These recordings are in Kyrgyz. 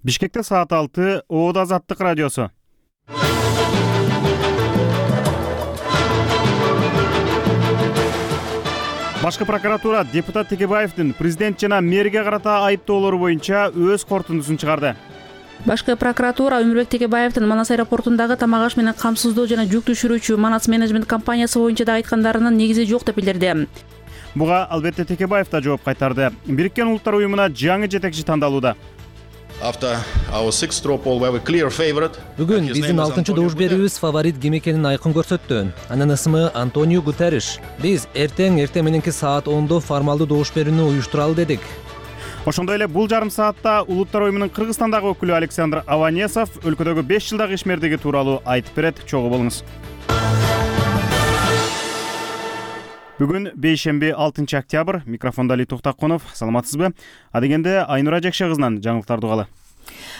Бишкекте саат 6, Оода Азаттык радиосу. Башкы прокуратура депутат Текебаевдин президент жана мэрге карата айыптоолору боюнча өз корутундусун чыгарды. Башкы прокуратура Өмүрбек Текебаевдин Манас аэропортундагы тамак аш менен камсыздоо жана жүк түшүрүүчү Манас менеджмент компаниясы боюнча да айткандарынын негизи жок деп билдирди. Буга албетте Текебаев да жооп кайтарды. Бириккен Улуттар уюмуна жаңы жетекчи тандалууда. Бүгүн биздин 6-чы добуш берүүбүз фаворит ким экенин айкын көрсөттү. Анын ысымы Антонио Гутерриш. Биз эртең мененки саат 10 формалдуу добуш берүүнү уюштуралы дедик. Ошондой эле бул жарым саатта Улуттар уюмунун Кыргызстандагы өкүлү Александр Аванесов өлкөдөгү 5 жылдагы ишмердиги тууралуу айтып берет. Чогуу болуңуз. Бүгүн бейшемби 6 октябрь. Микрофондо Али Токтакунов. Саламатсызбы? Адегенде Айнура Жекше кызынан жаңылыктарды угалы.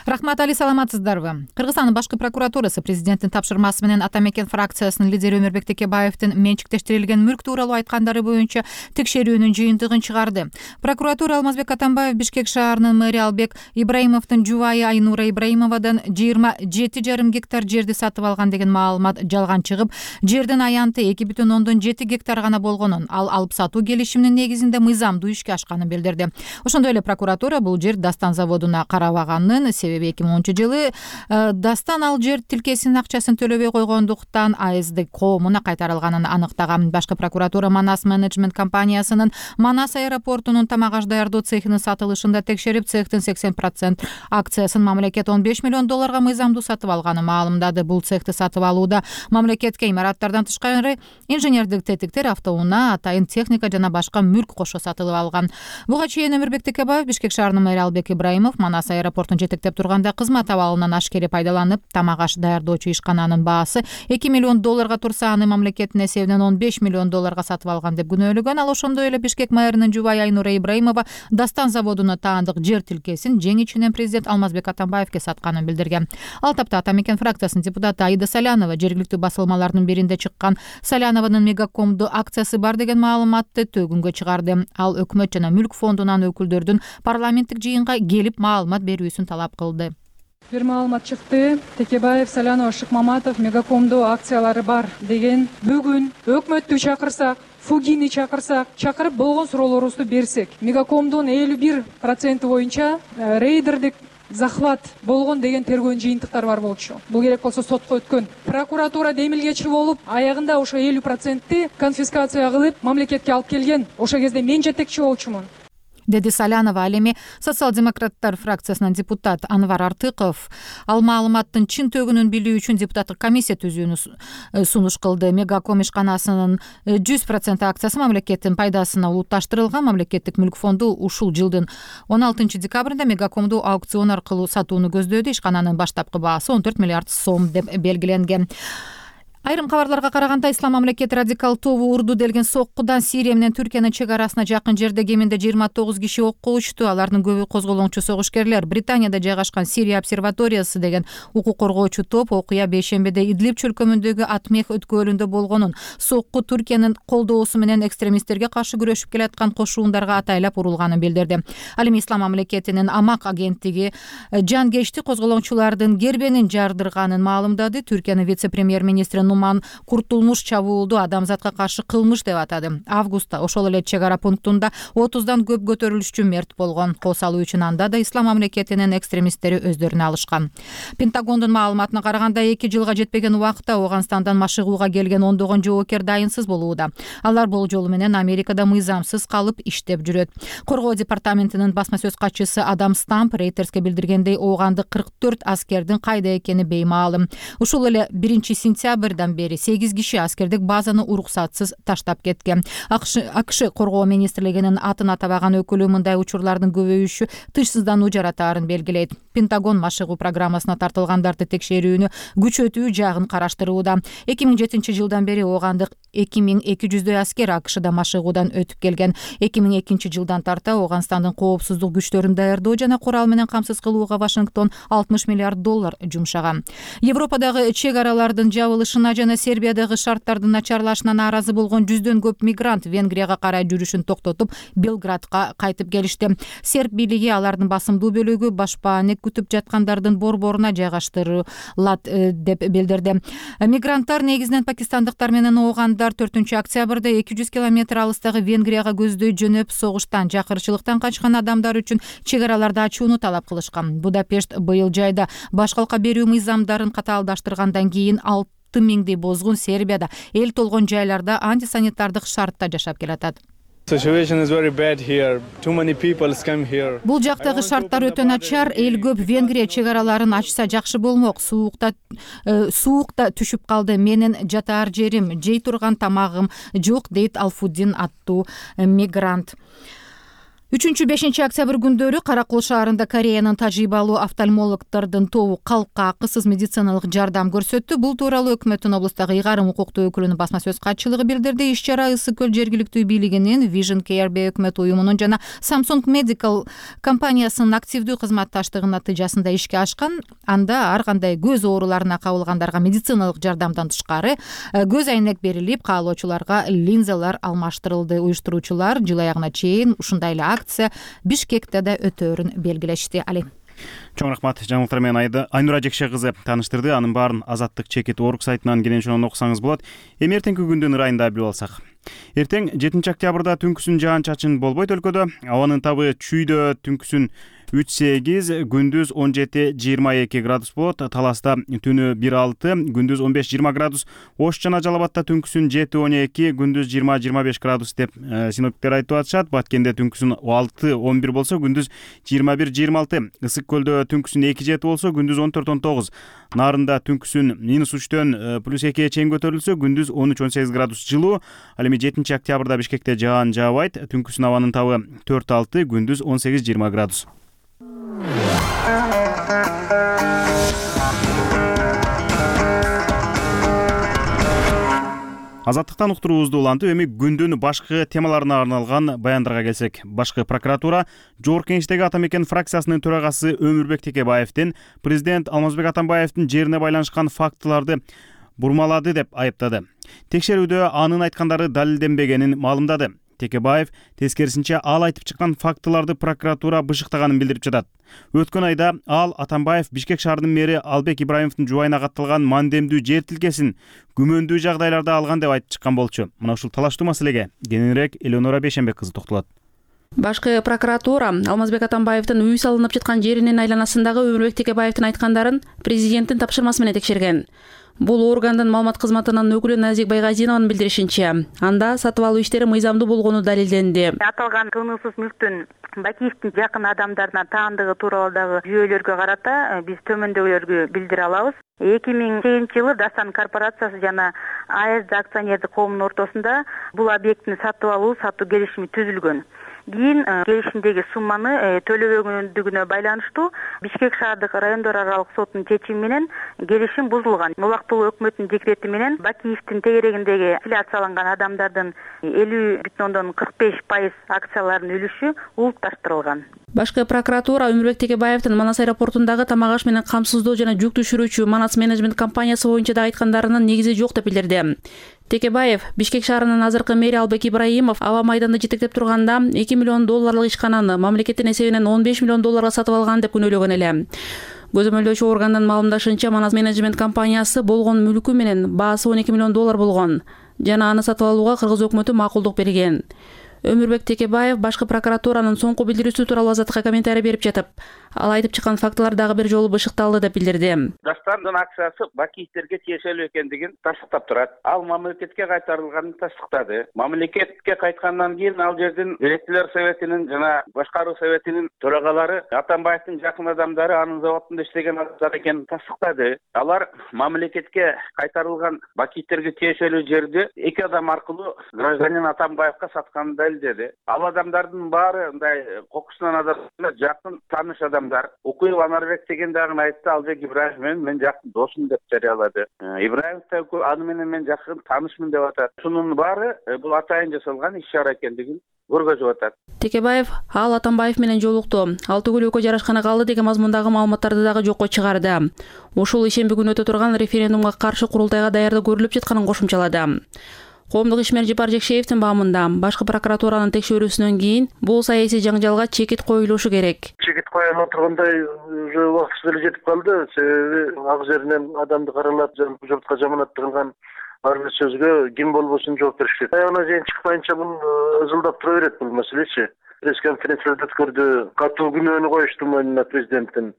Рахмат, Али, саламатсыздарбы? Кыргызстандын башкы прокуратурасы президенттин тапшырмасы менен Ата Мекен фракциясынын лидери Өмүрбек Текебаевдин менчиктештирилген мүлк тууралуу айткандары боюнча текшерүүнүн жыйынтыгын чыгарды. Прокуратура Алмазбек Атамбаев Бишкек шаарынын мэри Албек Ибраимовдун жубайы Айнура Ибраимовадан 27,5 гектар жерди сатып алган деген маалымат жалган чыгып, жердин аянты 2,7 гектар гана болгонун, ал алып сатуу келишиминин негизинде мыйзамдуу ишке ашканын билдирди. Ошондой эле прокуратура бул жер Дастан заводуна карабаганын, себеби 2010-жылы Дастан ал жер тилкесинин акчасын төлөбөй койгондуктан АСД коомуна кайтарылганын аныктаган. Башкы прокуратура Манас менеджмент компаниясынын Манас аэропортунун тамак аш даярдоо цехинин сатылышында текшерип, цехтин 80% акциясын мамлекет $15 миллион мыйзамдуу сатып алганын маалымдады. Бул цехти сатып алууда мамлекетке имараттардан тышкары инженердик тетиктер, автоунаа, атайын техника жана башка мүлк кошо сатылып алган. Буга чейин Өмүрбек Текебаев Бишкек шаарынын мэри Албек Ибраимов Манас аэропортун жетектеп турганда кызмат абалынан ашкере пайдаланып, тамак аш даярдоочу ишкананын баасы $2 миллион турса, аны мамлекеттин эсебинен $15 миллион сатып алган деп күнөөлөгөн. Ал ошондой эле Бишкек мэринин жубайы Айнура Ибраимова Дастан заводуна таандык жер тилкесин жең ичинен президент Алмазбек Атамбаевке сатканын билдирген. Ал тапта Ата Мекен фракциясынын депутаты Аида Салянова жергиликтүү басылмалардын биринде чыккан Салянованын Мегакомду акциясы бар деген маалыматты төгүнгө чыгарды. Ал өкмөт жана мүлк фондунан өкүлдөрдүн парламенттик жыйынга келип маалымат берүүсүн талап кылды. Бир маалымат чыкты. Текебаев, Салянова, Шыкмаматов Мегакомду акциялары бар деген. Бүгүн өкмөттү чакырсак, Фугини чакырып болгон суроолорубузду берсек, Мегакомдун 51% боюнча рейдердик захват болгон деген тергөөнүн жыйынтыктары бар болчу. Бул керек болсо сотко өткөн. Прокуратура демилгечи болуп, аягында ошо 50%-ти конфискация кылып, мамлекетке алып келген. Ошо кезде мен жетекчи болчумун, деди Салянова. Ал эми социал-демократтар фракциясынын депутат Анвар Артыков ал маалыматтын чын төгүнүн билүү үчүн депутаттык комиссия түзүүнү сунуш кылды. Мегаком ишканасынын 100% акциясы мамлекеттин пайдасына улутташтырылган. Мамлекеттик мүлк фонду ушул жылдын 16 декабрында Мегакомду аукцион аркылуу сатууну көздөдү. Ишкананын баштапкы баасы $14 миллиард деп белгиленген. Айрым кабарларга караганда, Ислам мамлекети радикал тобу Урду делген соккудан Сирия менен Түркиянын чек арасына жакын жерде кеминде 29 киши окко учту. Алардын көбү козголоңчу согушкерлер. Британияда жайгашкан Сирия обсерваториясы деген укук коргоочу топ окуя бейшембиде Идлиб чөлкөмүндөгү Атмех өткөлүндө болгонун, сокку Түркиянын колдоосу менен экстремисттерге каршы күрөшүп келаткан кошуундарга атайлап урулганын билдирди. Ал эми Ислам мамлекетинин Амак агенттиги жангечти козголоңчулардын гербенин жардырганын маалымдады. Түркиянын вице-премьер-министри Нуман Куртулмуш чабуулду адамзатка каршы кылмыш деп атады. Августта ошол эле чек ара пунктунда 30дан көп көтөрүлүшчү мерт болгон. Кол салуу үчүн анда да Ислам мамлекетинин экстремисттери өздөрүнө алышкан. Пентагондун маалыматына караганда 2 жылга жетпеген убакытта Афганистандан машыгууга келген ондогон жоокер дайынсыз болууда. Алар бул жолу менен Америкада мыйзамсыз калып иштеп жүрөт. Коргоо департаментинин басма сөз катчысы Адам Стамп Рейтерске билдиргендей, оогандык 44 аскердин кайда экени беймаалым. Ушул эле 1-сентябрь бери 8 киши аскердик базаны уруксатсыз таштап кеткен. АКШ коргоо министрлигинин атын атабаган өкүлү мындай учурлардын көбөйүшү тышсыздануу жаратаарын белгилейт. Пентагон машыгуу программасына тартылгандарды текшерүүнү күчөтүү жагын караштырууда. 2007 жылдан бери оогандык 2200 аскер АКШда машыгуудан өтүп келген. 2002 жылдан тарта Афганистандын коопсуздук күчтөрүн даярдоо жана курал менен камсыз кылууга Вашингтон $60 миллиард жумшаган. Европадагы чек аралардын жабылышына окуусуна жана Сербиядагы шарттардын начарлашына нааразы болгон жүздөн көп мигрант Венгрияга карай жүрүшүн токтотуп, Белградка кайтып келишти. Серб бийлиги алардын басымдуу бөлүгү башпаанек күтүп жаткандардын борборуна жайгаштырылат деп билдирди. Мигранттар негизинен пакистандыктар менен оогандар 4-октябрда 200 километр алыстагы Венгрияга көздөй жөнөп, согуштан, жакырчылыктан качкан адамдар үчүн чек араларды ачууну талап кылышкан. Будапешт быйыл жайда баш калка берүү мыйзамдарын катаалдаштыргандан кийин 6 миңдей бозгун Сербияда эл толгон жайларда антисанитардык шартта жашап келатат. Бул жактагы шарттар өтө начар. Эл көп. Венгрия чек араларын ачса жакшы болмок. Суукта түшүп калды. Менин жатаар жерим, жей турган тамагым жок, дейт Алфуддин аттуу мигрант. 3-5 октябрь күндөрү Каракол шаарында Кореянын тажрыйбалуу офтальмологдордун тобу калкка акысыз медициналык жардам көрсөттү. Бул тууралуу өкмөттүн облустагы ыйгарым укуктуу өкүлүнүн басма сөз катчылыгы билдирди. Иш-чара Ысык көл жергиликтүү бийлигинин, Vision Care өкмөт уюмунун жана Samsung Medical компаниясынын активдүү кызматташтыгынын натыйжасында ишке ашкан. Анда ар кандай көз ооруларына кабылгандарга медициналык жардамдан тышкары көз айнек берилип, каалоочуларга линзалар алмаштырылды. Уюштуруучулар жыл аягына чейин ушундай эле акция Бишкекте да өтөөрүн белгилешти. Али. Чоң рахмат. Жаңылыктар менен Айнура Жекше кызы тааныштырды. Анын баарын Азаттык чекит орг сайтынан кенен ошондон окусаңыз болот. Эми эртеңки күндүн ырайында билип алсак. Эртең 7 октябрда түнкүсүн жаан-чачын болбойт өлкөдө. Абанын табы чүйдө түнкүсүн 3-8, күндүз 17-22 градус болот. Таласта түнү 1-6, күндүз 15-20 градус. Ош жана Жалал Абадта түнкүсүн 7-12, күндүз 20-25 градус деп синоптиктер айтып атышат. Баткенде түнкүсүн 6-11 болсо, күндүз 21-26. Ысык көлдө түнкүсүн 2-7 болсо, күндүз 14-19. Нарында түнкүсүн -3-төн +2 чейин көтөрүлсө, күндүз 13-18 градус жылуу. Ал эми 7 октябрда Бишкекте жаан жаабайт. Түнкүсүн абанын табы 4-6, күндүз 18-20 градус. Азаттыктан уктуруубузду улантып, эми күндүн башкы темаларына арналган баяндарга келсек. Башкы прокуратура Жогорку Кеңештеги Ата Мекен фракциясынын төрагасы Өмүрбек Текебаевдин президент Алмазбек Атамбаевдин жерине байланышкан фактыларды бурмалады деп айыптады. Текшерүүдө анын айткандары далилденбегенин маалымдады. Текебаев тескерисинче ал айтып чыккан фактыларды прокуратура бышыктаганын билдирип жатат. Өткөн айда ал Атамбаев Бишкек шаарынын мэри Албек Ибраимовдун жубайына катталган мандемдүү жер тилкесин күмөндүү жагдайларда алган деп айтып чыккан болчу. Мына ушул талаштуу маселеге кененирээк Элеонора Бейшенбек кызы токтолот. Башкы прокуратура Алмазбек Атамбаевдин үй салынып жаткан жеринин айланасындагы Өмүрбек Текебаевдин айткандарын президенттин тапшырмасы менен текшерген. Бул органдын маалымат кызматынын өкүлү Назик Байгазинованын билдиришинче, анда сатып алуу иштери мыйзамдуу болгону далилденди. Аталган кылмыссыз мүлктүн Бакиевдин жакын адамдарына таандыгы тууралуу жүйөлөргө карата биз төмөндөгүлөргө билдире алабыз. 2008-жылы Дастан корпорациясы жана АЭС акционердик коомунун ортосунда бул объектини сатып алуу сатуу келишими түзүлгөн. Кийин келишимдеги сумманы төлөбөгөндүгүнө байланыштуу Бишкек шаардык райондор аралык сотунун чечими менен келишим бузулган. Убактылуу өкмөттүн декрети менен Бакиевдин тегерегиндеги аффилиацияланган адамдардын 50,45% акцияларынын үлүшү улутташтырылган. Башкы прокуратура Өмүрбек Текебаевдин Манас аэропортундагы тамак аш менен камсыздоо жана жүк түшүрүүчү Манас менеджмент компаниясы боюнча да айткандарынын негизи жок деп билдирди. Текебаев Бишкек шаарынын азыркы мэри Албек Ибраимов аба майданда жетектеп турганда $2 миллион ишкананы мамлекеттин эсебинен $15 миллион сатып алган деп күнөөлөгөн эле. Көзөмөлдөөчү органдын маалымдашынча, Манас менеджмент компаниясы болгон мүлкү менен баасы $12 миллион болгон жана аны сатып алууга кыргыз өкмөтү макулдук берген. Өмүрбек Текебаев башкы прокуратуранын соңку билдирүүсү тууралуу Азаттыкка комментарий берип жатып, ал айтып чыккан фактылар дагы бир жолу бышыкталды деп билдирди. Дастандын акциясы Бакиевтерге тиешелүү экендигин тастыктап турат. Ал мамлекетке кайтарылганын тастыктады. Мамлекетке кайткандан кийин ал жердин директорлор советинин жана башкаруу советинин төрагалары Атамбаевдин жакын адамдары анын заводунда иштеген адамдар экенин тастыктады. Алар мамлекетке кайтарылган Бакиевтерге тиешелүү жерди эки адам аркылуу гражданин Атамбаевга сатканын далилдеди. Ал адамдардын баары мындай кокусунан адамдар жакын тааныш адамдар. Укуев Анарбек деген дагы айтты, Албек Ибраев менен мен жакын досум деп жарыялады. Ибраев да аны менен мен жакын таанышмын деп атат. Шунун баары бул атайын жасалган иш-чара экендигин көргөзүп атат. Текебаев ал Атамбаев менен жолукту. Ал түгүл экөө жарашкана калды деген мазмундагы маалыматтарды дагы жокко чыгарды. Ушул ишемби күнү өтө турган референдумга каршы курултайга даярдык көрүлүп жатканын кошумчалады. Коомдук ишмер Жапар Жекшеевдин баамында башкы прокуратуранын текшерүүсүнөн кийин бул саясий жаңжалга чекит коюлушу керек. Чекит коюла тургандай уже убактысы эле жетип калды. Себеби ак жеринен адамды каралап, журтка жаманатты кылган ар бир сөзгө ким болбосун жооп бериш керек. Аягына чейин чыкпайынча бул ызылдап тура берет бул маселечи. Пресс-конференцияда өткөрдү, катуу күнөөнү коюшту мойнуна президенттин.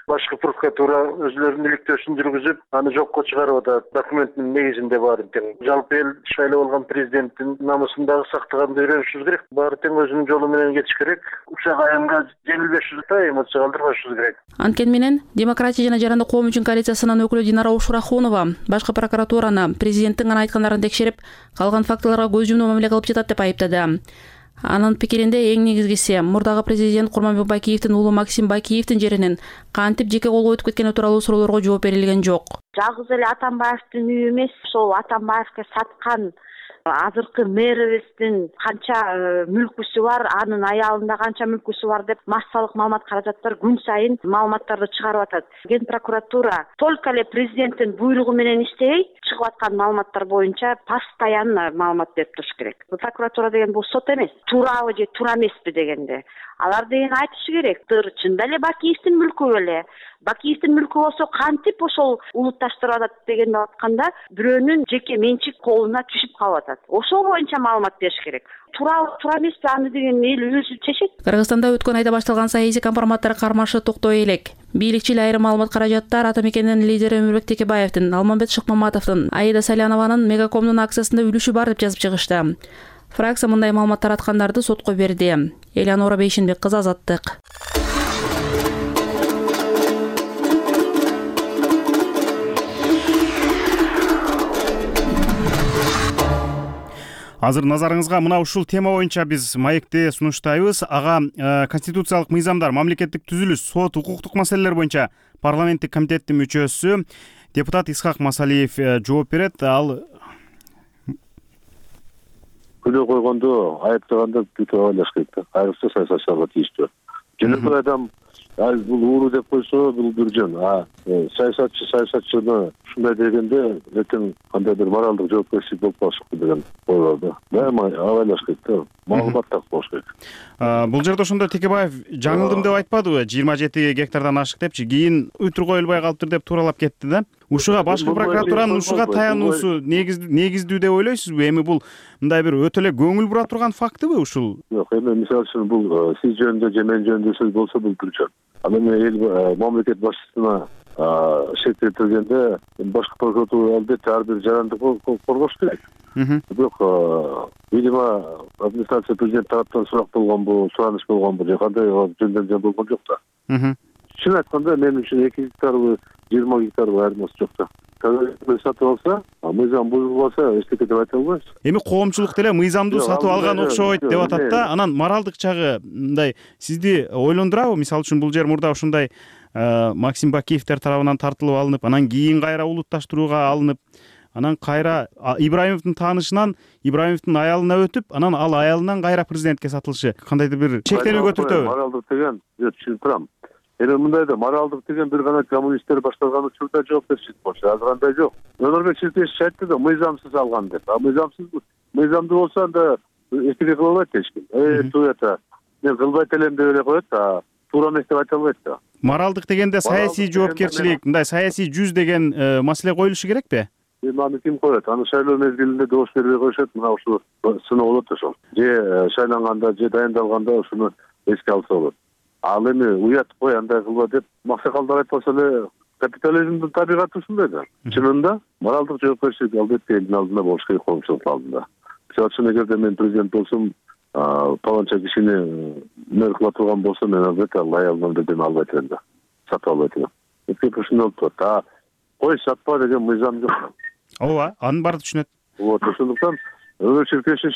Башкы прокуратура өзүлөрүнүн иликтөөсүн жүргүзүп, аны жокко чыгарып атат. Документтин негизинде баары тең. Жалпы эл шайлап алган президенттин намысын дагы сактаганды үйрөнүшүбүз керек. Баары тең өзүнүн жолу менен кетиш керек. Учак аянга жеңилбешибиз да, эмоция калтырбашыбыз керек. Анткени менен Демократия жана Жарандык коом үчүн коалициясынын өкүлү Динара Ушурахунова башкы прокуратураны президенттин гана айткандарын текшерип, калган фактыларга көз жумуу мамиле кылып жатат деп айыптады. Анын пикиринде эң негизгиси мурдагы президент Курманбек Бакиевдин уулу Максим Бакиевдин жеринин кантип жеке колго өтүп кеткени тууралуу суроолорго жооп берилген жок. Жалгыз эле Атамбаевдин үйү эмес, ошол Атамбаевге саткан азыркы мэрибиздин канча мүлкүсү бар, анын аялында канча мүлкүсү бар деп массалык маалымат каражаттар күн сайын маалыматтарды чыгарып атат. Ген прокуратура только эле президенттин буйругу менен иштебей, чыгып аткан маалыматтар боюнча постоянно маалымат берип туруш керек. Прокуратура деген бул сот эмес. Туурабы же туура эмеспи дегенде алар деген айтышы керек. Чында эле Бакиевдин мүлкү беле? Бакиевдин мүлкү болсо кантип ошол улутташтырып атат дегенди атканда бирөөнүн жеке менчик колуна түшүп калып атат. Ошол боюнча маалымат бериш керек. Туура эмеспи аны деген эл өзү чечет. Кыргызстанда өткөн айда башталган саясий компроматтар кармашы токтой элек. Бийликчил айрым маалымат каражаттар Ата Мекендин лидери Өмүрбек Текебаевдин, Алмамбет Шыкмаматовдун, Аида Салянованын Мегакомдун акциясында үлүшү бар деп жазып чыгышты. Фракция мындай маалымат тараткандарды сотко берди. Элянора Бейшенбек кызы, Азаттык. Азыр назарыңызга мына ушул тема боюнча биз маекте сунуштайбыз. Ага конституциялык мыйзамдар, мамлекеттик түзүлүш, сот, укуктук маселелер боюнча парламенттик комитеттин мүчөсү депутат Исхак Масалиев жооп берет. Ал күнөө койгондо, айыптаганда бүтүп алыш керек да. Айрыкча саясатчыларга тийиштүү. Жөнөкөй адам бул ууру деп койсо, бул бир жөн. Саясатчыны ушундай дегенде эртең кандай бир моралдык жоопкерчилик болуп калышы деген ой бар да. Дайыма абайлаш керек да. Маалымат так болуш керек. Бул жерде ошондо Текебаев жаңылдым деп айтпадыбы? 27 гектардан ашык депчи, кийин үтүр коюлбай калыптыр деп тууралап кетти да. Ушуга башкы прокуратуранын ушуга таянуусу негиздүү деп ойлойсузбу? Эми бул мындай бир өтө эле көңүл бура турган фактыбы ушул? Жок, эми мисалы үчүн бул сиз жөнүндө же мен жөнүндө сөз болсо бул бир жөн. Анан эл мамлекет башчысына шек келтиргенде башкы прокуратура албетте ар бир жарандыкты коргош керек. Бирок видимо администрация президент тараптан сурак болгонбу, сураныш болгонбу же кандай жөндөмдөр болгон жок да. Чын айтканда мен үчүн 2 гектарбы 20 гектарбы айырмасы жок да. Сатып алса, мыйзам бузулбаса эчтеке деп айта албайбыз. Эми коомчулук деле мыйзамды сатып алган окшойт деп атат да. Анан моралдык жагы мындай сизди ойлондурабы? Мисалы үчүн бул жер мурда ушундай Максим Бакиевдер тарабынан тартылып алынып, анан кийин кайра улутташтырууга алынып, анан кайра Ибраимовдун таанышынан Ибраимовдун аялына өтүп, анан ал аялынан кайра президентке сатылышы кандайдыр бир чектенүүгө түртөбү? Моралдык деген, түшүнүп турам. Эми мындай да моралдык деген бир гана коммунисттер башталган учурда жоопкерчилик болчу. Азыр андай жок. Өмүрбек Ширкешев айтты да, мыйзамсыз алган деп. Мыйзамды болсо анда эчтеке кыла албайт эч ким. Туята мен кылбайт элем деп эле коет, туура эмес деп айта албайт да. Моралдык дегенде саясий жоопкерчилик, мындай саясий жүз деген маселе коюлушу керекпи? Эми аны ким коет? Аны шайлоо мезгилинде добуш бербей коюшат. Мына ушул сыноо болот ошол. Же шайланганда, же дайындалганда ушуну эске алса болот. Ал эми уят кой, андай кылба деп максакалдар айтпаса эле капитализмдин табигаты ушундай да. Чынында моралдык жоопкерчилик албетте элдин алдында болуш керек, коомчулук алдында. Мисалы үчүн эгерде мен президент болсом, паланча кишини мэр кыла турган болсо, мен албетте аялымдан бирдеме албайт элем да. Сатып албайт элем. Эки ушундай болуп турат. Кой сатпа деген мыйзам жок. Ооба, анын баары түшүнөт. Вот, ошондуктан Өмүрбек Ширкешев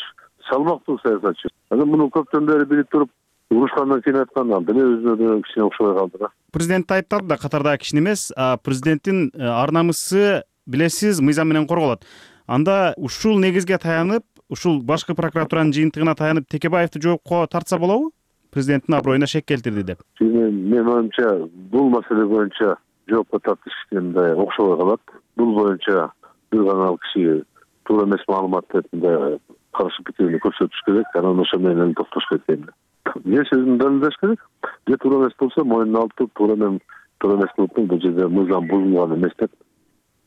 салмактуу саясатчы. Анан муну көптөн бери билип туруп, урушкандан кийин айткан деле өзүнө кичине окшобой калды да. Президент айыпталды да катардагы кишини эмес, президенттин ар намысы билесиз мыйзам менен корголот. Анда ушул негизге таянып, ушул башкы прокуратуранын жыйынтыгына таянып Текебаевди жоопко тартса болобу? Президенттин аброюна шек келтирди деп. Мен оюмча бул маселе боюнча жоопко тартыш мындай окшобой калат. Бул боюнча бир гана ал киши туура эмес маалымат мындай каршы пикирин көрсөтүш керек, анан ошо менен токтош керек. Же сөзүн далилдеш керек, же туура эмес болсо моюнуна алып туруп туура эмес кылыптын бул жерде мыйзам бузулган эмес деп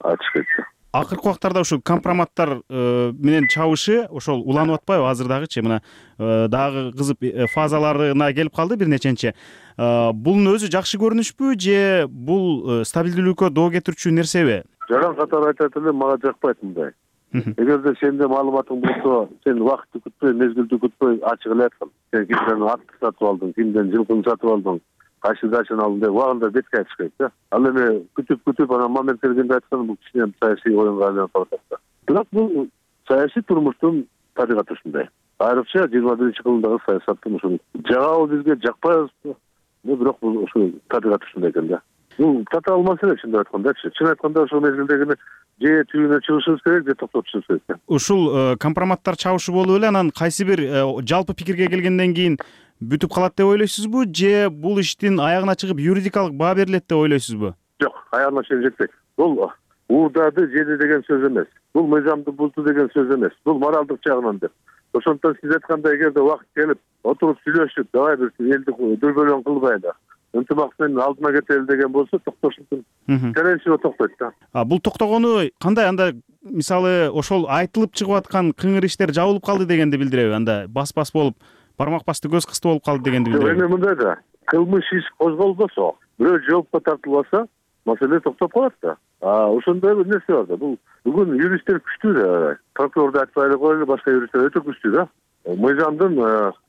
айтыш керек. Акыркы убактарда ушул компроматтар менен чабышы ошол уланып атпайбы азырдагычы? Мына дагы кызып фазаларына келип калды бир неченчи. Бунун өзү жакшы көрүнүшпү же бул стабилдүүлүккө доо кетирүүчү нерсеби? Жаран катары айтат эле, мага жакпайт мындай. Эгерде сенде маалыматың болсо, сен убакытты күтпөй, мезгилди күтпөй ачык эле айткан. Сен кимден атты сатып алдың, кимден жылкыны сатып алдың, кайсы дачаны алдың деп убагында бетке айтыш керек да. Ал эми күтүп анан момент келгенде айткан бул кичине саясий оюнга айланып калат да. Бирок бул саясий турмуштун табигаты ушундай. Айрыкча 21-кылымдагы саясаттын ушул жагабы бизге жакпайбызбы? Бирок бул ушул табигаты ушундай экен да. Бул татаал маселе чындап айткандачы. Чын айтканда ошол мезгилдегине же түйүнө чыгышыбыз керек, же токтотушубуз керек. Ушул компроматтар чабышы болуп эле анан кайсы бир жалпы пикирге келгенден кийин бүтүп калат деп ойлойсузбу, же бул иштин аягына чыгып юридикалык баа берилет деп ойлойсузбу? Жок, аягына чейин жетпейт. Бул уурдады жеди деген сөз эмес. Бул мыйзамды бузду деген сөз эмес. Бул моралдык жагынан деп. Ошондон сиз айткандай, эгерде убакыт келип, отуруп сүйлөшүп, давай бир элди дүрбөлөң кылбайлы, ынтымак менен алдыма кетели деген болсо токтош мүмкүн. Скорее всего токтойт да. Бул токтогону кандай? Анда мисалы ошол айтылып чыгып аткан кыңыр иштер жабылып калды дегенди билдиреби? Анда бас болуп, бармак басты көз кысты болуп калды дегенди билдиреби? Эми мындай да, кылмыш иш козголбосо, бирөө жоопко тартылбаса, маселе токтоп калат да. Ошондой бир нерсе бар да. Бул бүгүн юристтер күчтүү да. Прокурорду айтпай эле коелу, башка юристтер өтө күчтүү да. Мыйзамдын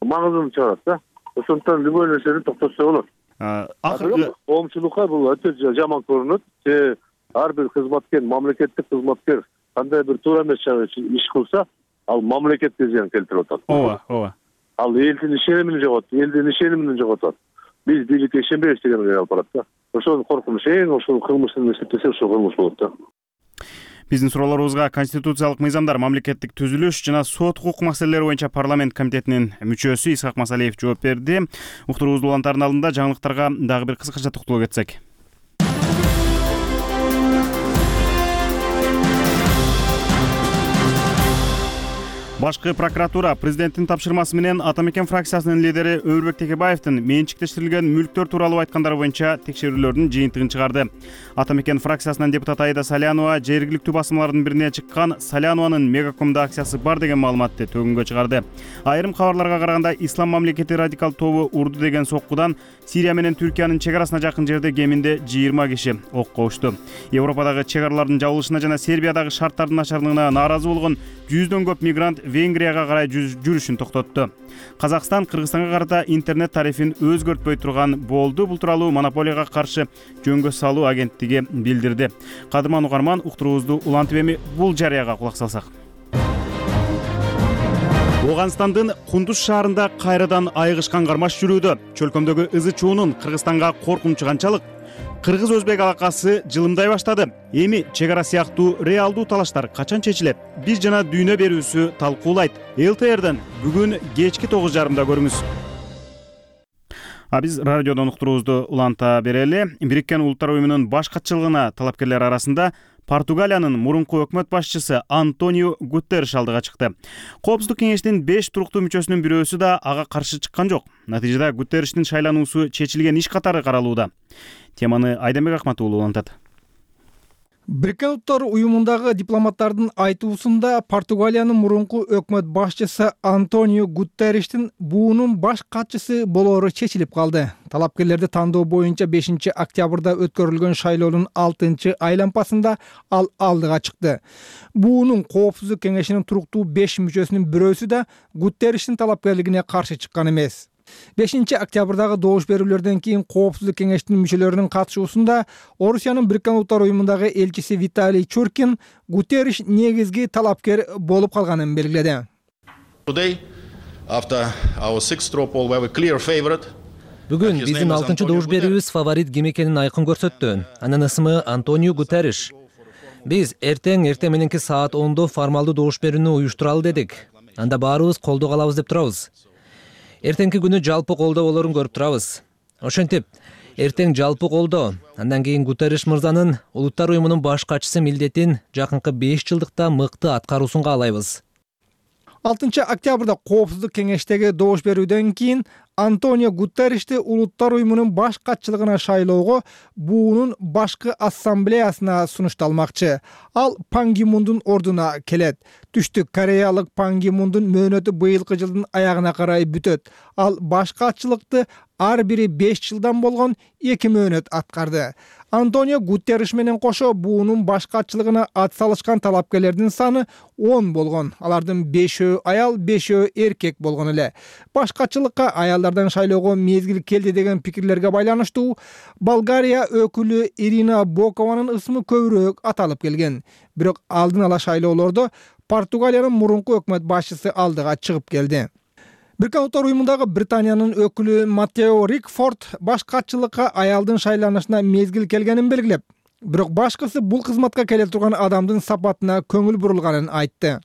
маңызын чыгарат да. Ошондон любой нерсени токтотсо болот. Акыркы коомчулукка бул өтө жаман көрүнөт. Ар бир кызматкер, мамлекеттик кызматкер кандай бир туура эмес иш кылса, ал мамлекетке зыян келтирип атат. Ооба. Ал элдин ишенимин жоготот, элдин ишенимин жоготот. Биз бийликке ишенбейбиз дегенге алып барат да. Ошол коркунуч, ошол кылмыштын эсептесе ошол кылмыш болот да. Биздин суроолорубузга конституциялык мыйзамдар, мамлекеттик түзүлүш жана сот укук маселелери боюнча парламент комитетинин мүчөсү Исхак Масалиев жооп берди. Уктуруубуздун улантардын алдында жаңылыктарга дагы бир кыскача токтоло кетсек. Башкы прокуратура президенттин тапшырмасы менен Ата Мекен фракциясынын лидери Өмүрбек Текебаевдин менчиктештирилген мүлктөр тууралуу айткандары боюнча текшерүүлөрдүн жыйынтыгын чыгарды. Ата Мекен фракциясынан депутат Аида Салянова жергиликтүү басмалардын бирине чыккан Салянованын Мегакомдо акциясы бар деген маалыматты төгүнгө чыгарды. Айрым кабарларга караганда Ислам мамлекети радикал тобу урду деген соккудан Сирия менен Түркиянын чек арасына жакын жерде кеминде 20 киши окко ушту. Европадагы чек аралардын жабылышына жана Сербиядагы шарттардын начарлыгына нааразы болгон 100дөн көп мигрант Венгрияга карай жүрүшүн токтотту. Казакстан Кыргызстанга карата интернет тарифин өзгөртпөй турган болду. Бул тууралуу Монополияга каршы жөнгө салуу агенттиги билдирди. Кадырман угарман, уктуруубузду улантып эми бул жарыяга кулак салсак. Оганстандын Кундуз шаарында кайрадан айыгышкан кармаш жүрүүдө. Чөлкөмдөгү ызы чуунун Кыргызстанга коркунучу канчалык? Кыргыз-өзбек алакасы жылымдай баштады. Эми чек ара сыяктуу реалдуу талаштар качан чечилет? Биз жана дүйнө берүүсү талкуулайт. ЛТРден бүгүн кечки 9:30 көрүңүз. Биз радиодон уктуруубузду уланта берели. Бириккен Улуттар уюмунун баш катчылыгына талапкерлер арасында Португалиянын мурунку өкмөт башчысы Антонио Гутерриш алдыга чыкты. Коопсуздук кеңештин 5 туруктуу мүчөсүнүн бирөөсү да ага каршы чыккан жок. Натыйжада Гутерриштин шайлануусу чечилген иш катары каралууда. Теманы Айдамбек Акматуулу улантат. Бириккен Улуттар уюмундагы дипломаттардын айтуусунда Португалиянын мурунку өкмөт башчысы Антонио Гутерриштин буунун баш катчысы болоору чечилип калды. Талапкерлерди тандоо боюнча 5 октябрда өткөрүлгөн шайлоонун 6 айлампасында ал алдыга чыкты. Буунун коопсуздук кеңешинин туруктуу 5 мүчөсүнүн бирөөсү да Гутерриштин талапкерлигине каршы чыккан эмес. 5 октябрдагы добуш берүүлөрдөн кийин Коопсуздук кеңештин мүчөлөрүнүн катышуусунда Орусиянын Бириккен Улуттар уюмундагы элчиси Виталий Чуркин Гутерриш негизги талапкер болуп калганын белгиледи. After our sixth straw poll, we have a clear favorite. Бүгүн биздин 6-чы добуш берүүбүз фаворит ким экенин айкын көрсөттү. Анын ысымы Антонио Гутерриш. Биз эртең мененки саат 10-до формалдуу добуш берүүнү уюштуралы дедик. Анда баарыбыз колдоо калабыз деп турабыз. Эртеңки күнү жалпы колдоо болорун көрүп турабыз. Ошентип, эртең жалпы колдоо. Андан кийин Гутерриш мырзанын Улуттар уюмунун баш катчысы милдетин жакынкы 5 жылдыкта мыкты аткаруусун каалайбыз. 6 октябрда Коопсуздук кеңештеги добуш берүүдөн кийин Антонио Гутерришти Улуттар уюмунун баш катчылыгына шайлоого буунун башкы ассамблеясына сунушталмакчы. Ал Пан Ги Мундун ордуна келет. Түштүк Кореялык Пан Ги Мундун мөөнөтү быйылкы жылдын аягына карай бүтөт. Ал баш катчылыкты ар бири 5 жылдан болгон 2 мөөнөт аткарды. Антонио Гутерриш менен кошо буунун баш катчылыгына ат салышкан талапкерлердин саны 10 болгон. Алардын 5-өө аял, 5-өө эркек болгон эле. Баш катчылыкка аялдардан шайлоого мезгил келди деген пикирлерге байланыштуу Болгария өкүлү Ирина Бокованын ысмы көбүрөөк аталып келген. Бирок алдын ала шайлоолордо Португалиянын мурунку өкмөт башчысы алдыга чыгып келди. Бириккен Улуттар уюмундагы Британиянын өкүлү Маттео Рикфорд баш катчылыкка аялдын шайланышына мезгил келгенин белгилеп, бирок башкысы бул кызматка келе турган адамдын сапатына көңүл бурулганын айтты.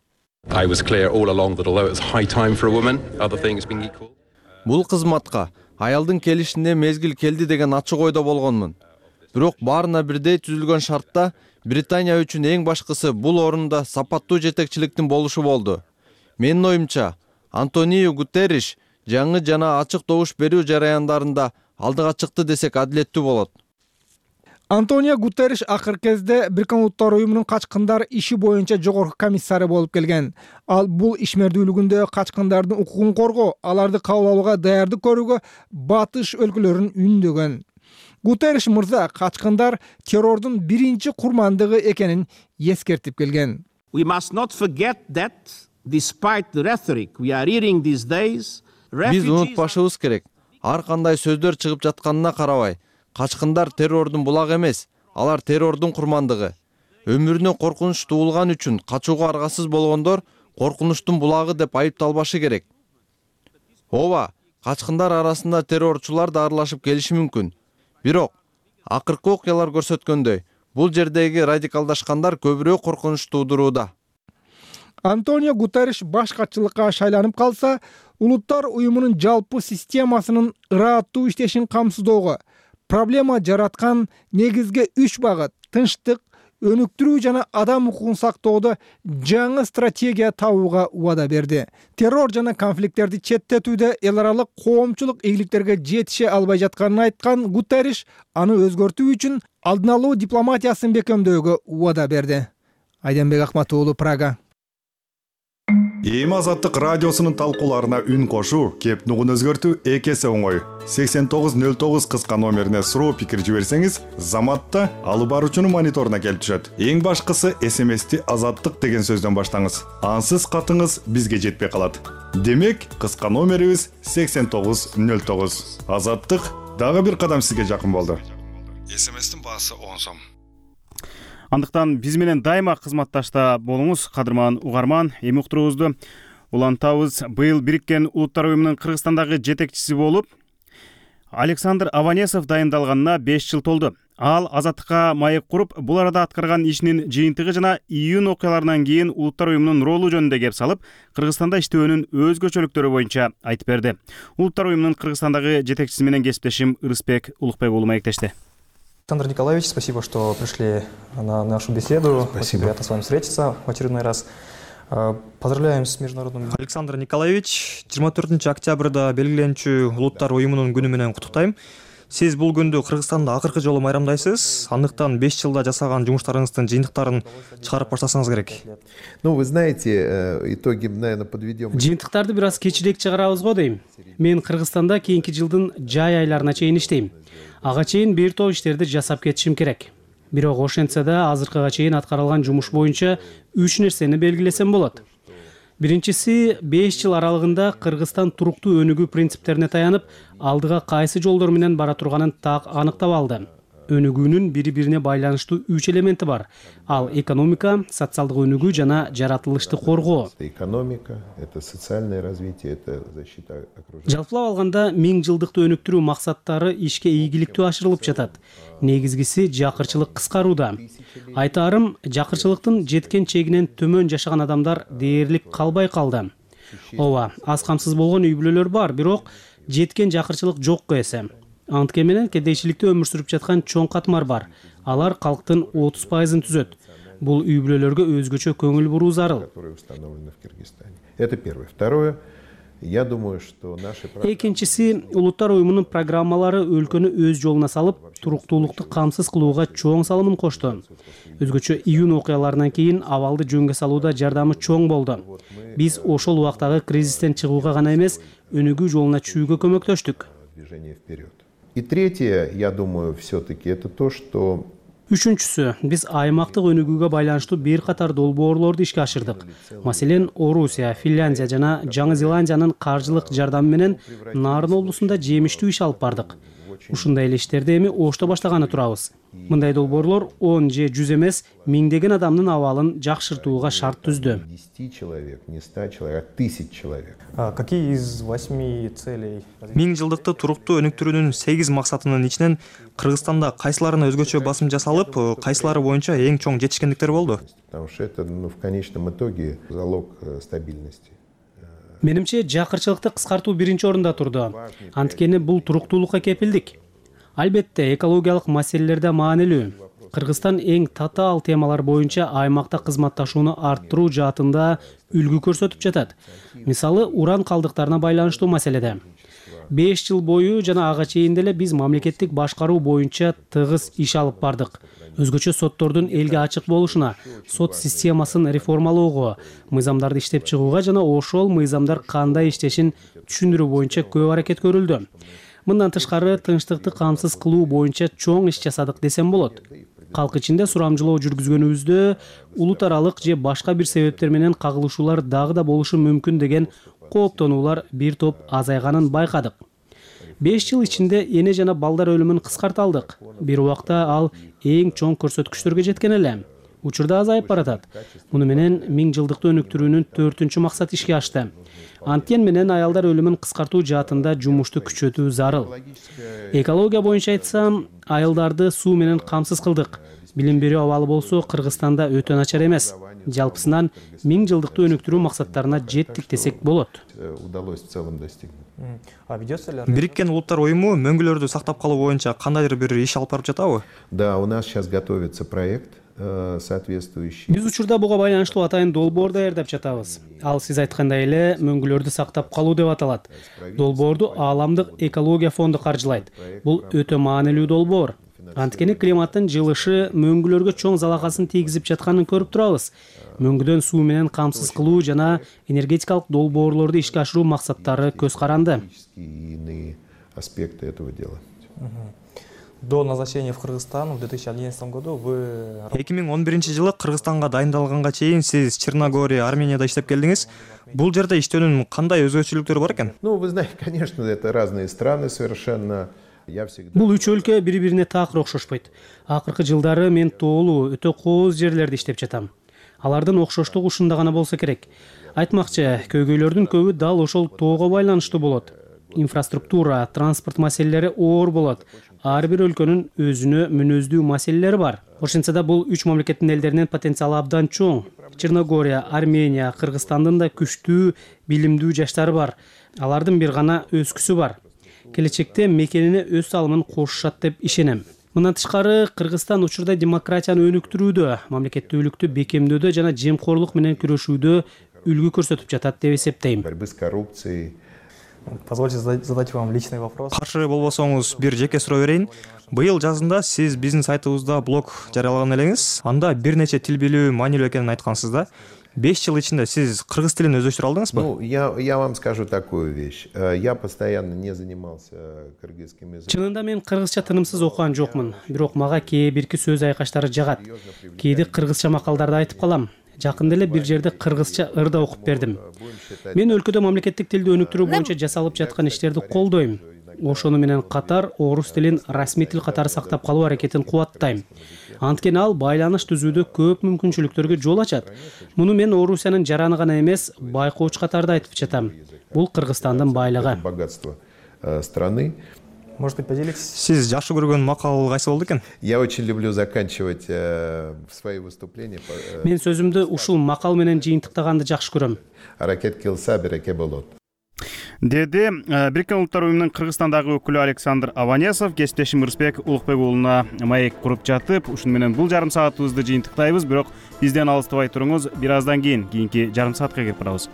Бул кызматка аялдын келишине мезгил келди деген ачык ойдо болгонмун. Бирок баарына бирдей түзүлгөн шартта Британия үчүн эң башкысы бул орунда сапаттуу жетекчиликтин болушу болду. Менин оюмча, Антонио Гутерриш жаңы жана ачык добуш берүү жараяндарында алдыга чыкты десек адилеттүү болот. Антонио Гутерриш акыркы кезде Бириккен Улуттар уюмунун качкындар иши боюнча жогорку комиссары болуп келген. Ал бул ишмердүүлүгүндө качкындардын укугун коргоо, аларды кабыл алууга даярдык көрүүгө батыш өлкөлөрүн үндөгөн. Гутерриш мырза качкындар террордун биринчи курмандыгы экенин эскертип келген. We must not forget that despite the rhetoric we are hearing these days, Биз унутпашыбыз керек. Ар кандай сөздөр чыгып жатканына карабай, качкындар террордун булагы эмес, алар террордун курмандыгы. Өмүрүнө коркунуч туулган үчүн качууга аргасыз болгондор коркунучтун булагы деп айыпталбашы керек. Ооба, качкындар арасында террорчулар да аралашып келиши мүмкүн. Бирок, акыркы окуялар көрсөткөндөй, бул жердеги радикалдашкандар көбүрөөк коркунуч туудурууда. Антонио Гутерриш баш катчылыкка шайланып калса, Улуттар уюмунун жалпы системасынын ыраттуу иштешин камсыздоого, проблема жараткан негизги 3 багыт — тынчтык, өнүктүрүү жана адам укугун сактоодо жаңы стратегия табууга убада берди. Террор жана конфликттерди четтетүүдө эл аралык коомчулук ийгиликтерге жетише албай жатканын айткан Гутерриш аны өзгөртүү үчүн алдын алуу дипломатиясын бекемдөөгө убада берди. Айденбек Акматуулу, Прага. Эми Азаттык радиосунун талкууларына үн кошуу, кеп нугун өзгөртүү эки эсе оңой. 8909 кыска номерине суроо пикир жиберсеңиз, заматта алып баруучунун мониторуна келип түшөт. Эң башкысы СМСти Азаттык деген сөздөн баштаңыз. Ансыз катыңыз бизге жетпей калат. Демек, кыска номерибиз 8909. Азаттык дагы бир кадам сизге жакын болду. СМСтин баасы 10 сом. Андыктан биз менен дайыма кызматташта болуңуз, кадырман угарман. Эми уктуруубузду улантабыз. Быйыл Бириккен Улуттар уюмунун Кыргызстандагы жетекчиси болуп Александр Аванесов дайындалганына 5 жыл толду. Ал Азаттыкка маек куруп, бул арада аткарган ишинин жыйынтыгы жана июнь окуяларынан кийин Улуттар уюмунун ролу жөнүндө кеп салып, Кыргызстанда иштөөнүн өзгөчөлүктөрү боюнча айтып берди. Улуттар уюмунун Кыргызстандагы жетекчиси менен кесиптешим Ырысбек Улукбек уулу маектешти. Александр Николаевич, спасибо, что пришли на нашу беседу. Спасибо. Очень приятно с вами встретиться в очередной раз. Поздравляем с международным... Александр Николаевич, 24 октябрда белгиленчү Улуттар уюмунун күнү менен куттуктайм. Сиз бул күндү Кыргызстанда акыркы жолу майрамдайсыз. Андыктан 5 жылда жасаган жумуштарыңыздын жыйынтыктарын чыгарып баштасаңыз керек. Ну, вы знаете, итоги, наверное, подведем. Жыйынтыктарды бир аз кечирээк чыгарабыз го дейм. Мен Кыргызстанда кийинки жылдын жай айларына чейин иштейм. Ага чейин бир топ иштерди жасап кетишим керек. Бирок ошентсе да азыркыга чейин аткарылган жумуш боюнча 3 нерсени белгилесем болот. Биринчиси, 5 жыл аралыгында Кыргызстан туруктуу өнүгүү принциптерине таянып, алдыга кайсы жолдор менен бара турганын так аныктап алды. өнүгүүнүн бири бирине байланыштуу 3 элементи бар. Ал экономика, социалдык өнүгүү жана жаратылышты коргоо. Экономика, это социальное развитие, это защита окружения. Жалпылап алганда 1000 жылдыкты өнүктүрүү максаттары ишке ийгиликтүү ашырылып жатат. Негизгиси жакырчылык кыскарууда. Айтаарым, жакырчылыктын жеткен чегинен төмөн жашаган адамдар дээрлик калбай калды. Ооба, аз камсыз болгон үй бүлөлөр бар, бирок жеткен жакырчылык жокко эсе. Анткени менен кедейчиликте өмүр сүрүп жаткан чоң катмар бар. Алар калктын 30%-ын түзөт. Бул үй бүлөлөргө өзгөчө көңүл буруу зарыл. Это первое. Второе. Я думаю, что наши... Экинчиси, улуттар уюмунун программалары өлкөнү өз жолуна салып, туруктуулукту камсыз кылууга чоң салымын кошту. Өзгөчө июнь окуяларынан кийин абалды жөнгө салууда жардамы чоң болду. Биз ошол убактагы кризистен чыгууга гана эмес, өнүгүү жолуна түшүүгө көмөктөштүк. И третье, я думаю, все-таки это то, что... Үчүнчүсү, биз аймактык өнүгүүгө байланыштуу бир катар долбоорлорду ишке ашырдык. Маселен, Орусия, Финляндия жана Жаңы Зеландиянын каржылык жардамы менен Нарын облусунда жемиштүү иш алып бардык. Ушундай эле иштерди эми Ошто баштаганы турабыз. Мындай долбоорлор 10 же 100 эмес, миңдеген адамдын абалын жакшыртууга шарт түздү. 10 человек, не 100 человек, а 1000 человек. Какие из 8 целей? 1000 жылдыкты туруктуу өнүктүрүүнүн 8 максатынын ичинен Кыргызстанда кайсыларына өзгөчө басым жасалып, кайсылары боюнча эң чоң жетишкендиктер болду? Потому что это, в конечном итоге залог стабильности. Менимче, жакырчылыкты кыскартуу биринчи орунда турду. Анткени бул туруктуулукка кепилдик. Албетте, экологиялык маселелерде маанилүү. Кыргызстан эң татаал темалар боюнча аймакта кызматташууну арттыруу жаатында үлгү көрсөтүп жатат. Мисалы, уран калдыктарына байланыштуу маселеде. 5 жыл бою жана ага чейин деле биз мамлекеттик башкаруу боюнча тыгыз иш алып бардык. Өзгөчө соттордун элге ачык болушуна, сот системасын реформалоого, мыйзамдарды иштеп чыгууга жана ошол мыйзамдар кандай иштешин түшүндүрүү боюнча көп аракет көрүлдү. Мындан тышкары тынчтыкты камсыз кылуу боюнча чоң иш жасадык десем болот. Калк ичинде сурамжылоо жүргүзгөнүбүздө улут аралык же башка бир себептер менен кагылышуулар дагы да болушу мүмкүн деген кооптонуулар бир топ азайганын байкадык. 5 жыл ичинде эне жана балдар өлүмүн кыскарта алдык. Бир убакта ал эң чоң көрсөткүчтөргө жеткен эле. Учурда азайып баратат. Муну менен 1000 жылдыкты өнүктүрүүнүн 4-чү максаты ишке ашты. Анткен менен аялдар өлүмүн кыскартуу жаатында жумушту күчөтүү зарыл. Экология боюнча айтсам, айылдарды суу менен камсыз кылдык. Билим берүү абалы болсо Кыргызстанда өтө начар эмес. Жалпысынан 1000 жылдыкты өнүктүрүү максаттарына жеттик десек болот. Удалось в целом достигнуть. Бириккен улуттар уюму мөңгүлөрдү сактап калуу боюнча кандайдыр бир иш алып барып жатабы? Да, у нас сейчас готовится проект соответствующий. Биз учурда буга байланыштуу атайын долбоор даярдап жатабыз. Ал сиз айткандай эле мөңгүлөрдү сактап калуу деп аталат. Долбоорду Ааламдык экология фонду каржылайт. Бул өтө маанилүү долбоор. Анткени климаттын жылышы мөңгүлөргө чоң залакасын тийгизип жатканын көрүп турабыз. Мөңгүдөн суу менен камсыз кылуу жана энергетикалык долбоорлорду ишке ашыруу максаттары көз каранды. Аспекты этого дела. До назначения в Кыргызстан в 2011 году вы 2011 Кыргызстанга дайындалганга чейин сиз Черногория, Арменияда иштеп келдиңиз. Бул жерде иштөөнүн кандай өзгөчөлүктөрү бар экен? Ну, вы знаете, конечно, это разные страны совершенно. Бул үч өлкө бири-бирине такыр окшошпойт. Акыркы жылдары мен тоолуу, өтө кооз жерлерде иштеп жатам. Алардын окшоштугу ушунда гана болсо керек. Айтмакчы, көйгөйлөрдүн көбү дал ошол тоого байланыштуу болот. Инфраструктура, транспорт маселелери оор болот. Ар бир өлкөнүн өзүнө мүнөздүү маселелери бар. Ошентсе да бул үч мамлекеттин элдеринин потенциалы абдан чоң. Черногория, Армения, Кыргызстандын да күчтүү, билимдүү жаштары бар. Алардын бир гана өскүсү бар. Келечекте мекенине өз салымын кошушат деп ишенем. Мындан тышкары Кыргызстан учурда демократияны өнүктүрүүдө, мамлекеттүүлүктү бекемдөөдө жана жемкорлук менен күрөшүүдө үлгү көрсөтүп жатат деп эсептейм. Борьбы с коррупцией. Позвольте задать вам личный вопрос. Каршы болбосоңуз бир жеке суроо берейин. Быйыл жазында сиз биздин сайтыбызда блог жарыялаган элеңиз. Анда бир нече тил билүү маанилүү экенин айткансыз да. 5 жыл ичинде сиз кыргыз тилин өздөштүрө алдыңызбы? Ну, я вам скажу такую вещь. Я постоянно не занимался кыргызским языком. Чынында мен кыргызча тынымсыз окуган жокмун. Бирок мага кээ бирки сөз айкаштары жагат. Кээде кыргызча макалдарды айтып калам. Жакында эле бир жерде кыргызча ырда окуп бердим. Мен өлкөдө мамлекеттик тилди өнүктүрүү боюнча жасалып жаткан иштерди колдойм. ошону менен катар орус тилин расмий тил катары сактап калуу аракетин кубаттайм. Анткени ал байланыш түзүүдө көп мүмкүнчүлүктөргө жол ачат. Муну мен Орусиянын жараны гана эмес, байкоочу катарда айтып жатам. Бул Кыргызстандын байлыгы. Страны. Может быть, поделитесь? Сиз жакшы көргөн макал кайсы болду экен? Я очень люблю заканчивать свои выступления. Мен сөзүмдү ушул макал менен жыйынтыктаганды жакшы көрөм. Аракет кылса береке болот. Деди Бириккен Улуттар уюмунун Кыргызстандагы өкүлү Александр Аванесов. Кесиптешим Ырысбек Улукбек уулуна маек куруп жатып, ушуну менен бул жарым саатыбызды жыйынтыктайбыз. Бирок бизден алыстабай туруңуз. Бир аздан кийинки жарым саатка кирип барабыз.